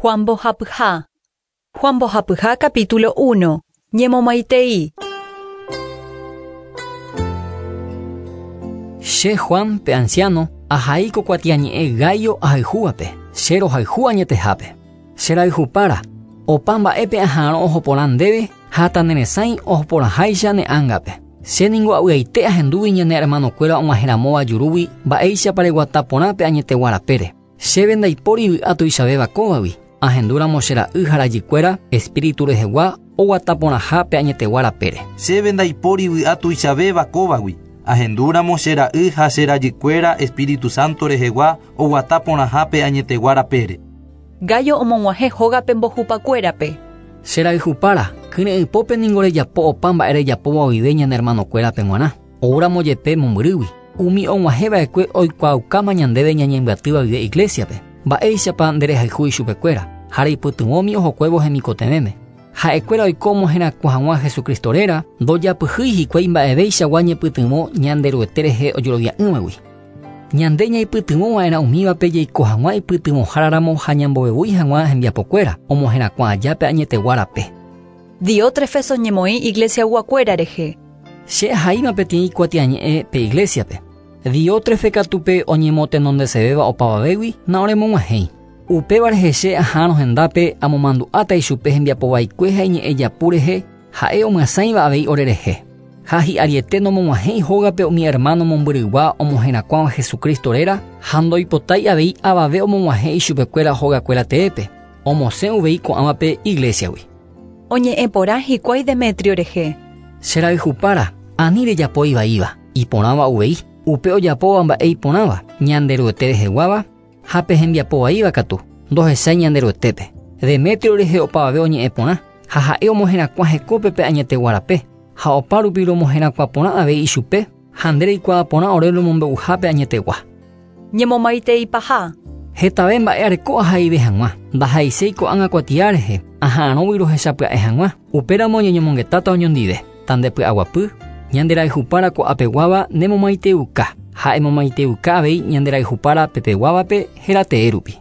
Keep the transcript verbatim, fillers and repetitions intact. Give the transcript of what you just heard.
Juan Mbohapyha. Juan Mbohapyha capítulo uno. Ñemomaitei. Che Juan pe anciano, ahai ko kuatiañe'ẽ Gayo ahayhúvape, che rohayhu añetehápe. Che rayhupára, opa mba'épe aha'arõ oho porã ndéve ha taneresãi oho porãháicha ne ángape. Che ningo avy'aite ahendúvi ñane hermanokuéra og̃uahẽramóva jurúgui mba'éichapa reguata porã pe añeteguarapére. Chéve ndaipóri vy'a tuichavéva kóvagui, ahendúramo che ra'y ha rajykuéra espíritu rehegua oguata porãha pe añeteguarapére. Chéve ndaipóri vy'a tuichavéva kóvagui, ahendúramo che ra'y ha che rajykuéra Espíritu Santo rehegua oguata porãha pe añeteguarapére. Gayo omog̃uahẽ hógape mbohupakuérape. Che rayhupára, kyre'ỹpópe ningo rejapo opa mba'e rejapóva oive ñane hermanokuérape g̃uarã. Oúramo jepe mombyrýgui. Umi og̃uahẽva'ekue oikuaaukáma ñandéve ñañembyatýva guive iglesiape. Mba'éichapa nderehayhu ichupekuéra ha reipytyvõmi ohokuévo hemikotevẽme. Ha'ekuéra oiko omoherakuã hag̃ua Jesucristo réra ndojapyhýi hikuái mba'evéichagua ñepytyvõ Ñanderuete rehe ojerovia'ỹvagui. Ñande ñaipytyvõva'erã umívape jaiko hag̃ua ipytyvõháraramo ha ñambovevúi hag̃ua hembiapokuéra omoherakuã aja pe añeteguárape. Diótrefes oñemoĩ iglesiaguakuéra rehe. Che ahaíma peteĩ kuatiañe'ẽ pe iglesiape. Diótrefe katu pe oñemotenondesevéva opavavégui na'oremog̃uahẽi. Upéva rehe che ahárõ hendápe amomandu'áta ichupe hembiapovaikue ha iñe'ẽ japu rehe ha'e omyasãiva avei orerehe. Ha hi'ariete nomog̃uahẽi hógape umi hermano mombyrygua omoherakuãva Jesucristo réra ha ndoipotái avei avave omog̃uahẽ ichupekuéra hogakuéra teépe. Omosẽ uvei ko'ãvape iglesiagui. Oñe'ẽ porã hikuái Demetrio rehe. Che rayhupára, ani rejapo ivaíva, iporãva uvei, upe ojapóva mba'e iporãva, Ñanderuete reheguáva, ha pe hembiapovaíva katu, ndohechái Ñanderuetépe. Demetrio rehe opavave oñe'ẽ porã, ha ha'e omoherakuã hekópe pe añeteguárape, ha opa rupi romoherakuã porã avei ichupe, ha nde reikuaa porã ore romombe'uhápe añetegua. Ñemomaiteipaha. Hetave mba'e areko ahaive hag̃ua, ndahaiséi ko'ág̃a kuatia rehe, aha'arõgui rohechapya'e hag̃ua, upéramo ñañomongetáta oñondive, tandepy'aguapy, ñanderayhupára ko'apeguáva nemomaiteuka, ha emomaiteuka avei ñanderayhupára pepeguávape héra tee rupi.